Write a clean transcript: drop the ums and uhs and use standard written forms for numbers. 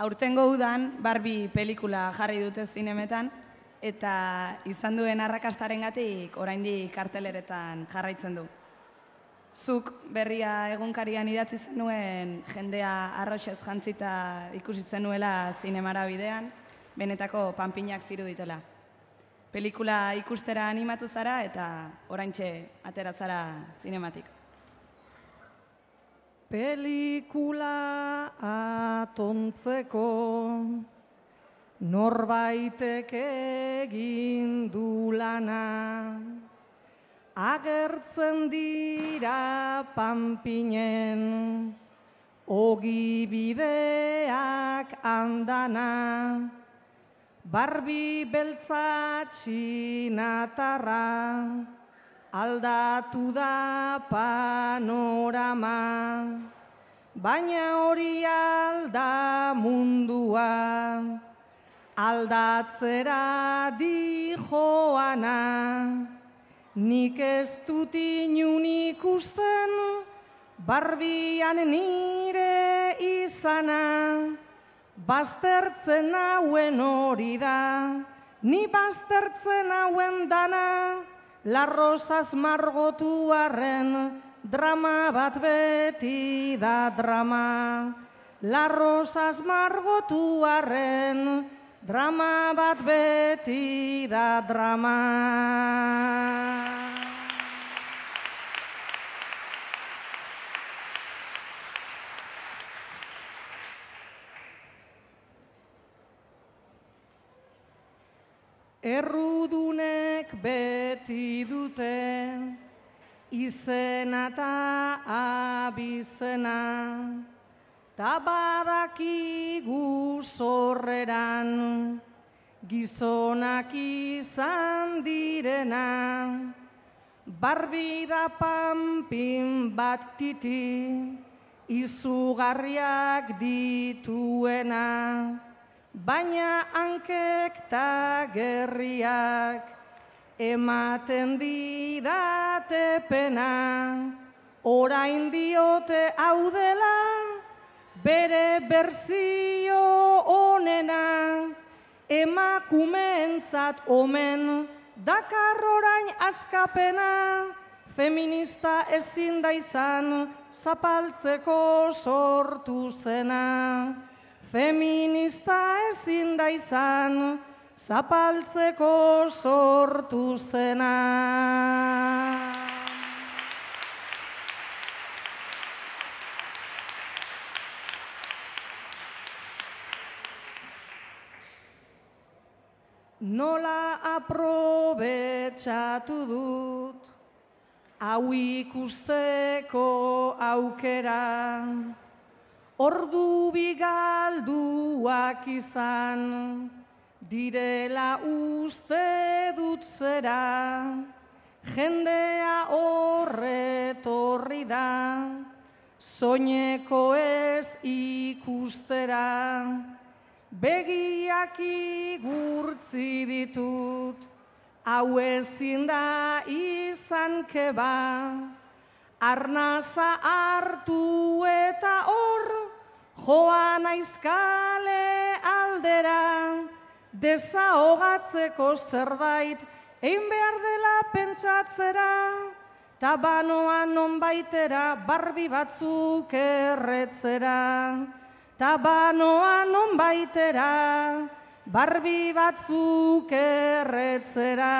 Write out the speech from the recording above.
Aurtengo udan Barbie pelikula jarri dute zinemetan, eta izan duen arrakastarengatik oraindik karteleretan jarraitzen du. Zuk berria egunkarian idatzi zenuen jendea arroxez jantzita ikusi zenuela zinemara bidean, benetako panpinak ziruditela. Pelikula ikustera animatu zara eta oraintxe atera zara zinematik. Pelikula atontzeko norbaitek egin du lana, agertzen dira panpinen ogi bideak andana, Barbie beltza txinatarra aldatu da panorama, baina hori alda mundua, aldatzera di joana. Nik ez dut inun ikusten, Barbian nire izana, baztertzen hauen hori da, ni baztertzen hauen dana, La Rosas margotuarren drama bat beti da drama. La Rosas margotuarren drama bat beti da drama. Errudunek beti dute izena eta abizena, ta badakigu sorreran gizonak izan direna. Barbie da panpin bat titi izugarriak dituena, baina hankek ta gerriak ematen didate pena. Orain diote hau dela bere berzio onena, emakumeentzat omen dakar orain askapena. Feminista ezin da izan zapaltzeko sortu zena. Feminista ezin da izan zapaltzeko sortu zena. Nola aprobetxatu dut hau ikusteko aukera, ordu bigalduak izan direla uste dut zera. Jendea horretorri da soineko ez ikustera, begiak igurtzi ditut, hau ezin da izan keba. Arnaza hartu eta hor joan aizkale aldera, desahogatzeko zerbait egin behar dela pentsatzera, ta banoa nonbaitera Barbie batzuk erretzera. Ta banoa nonbaitera Barbie batzuk erretzera.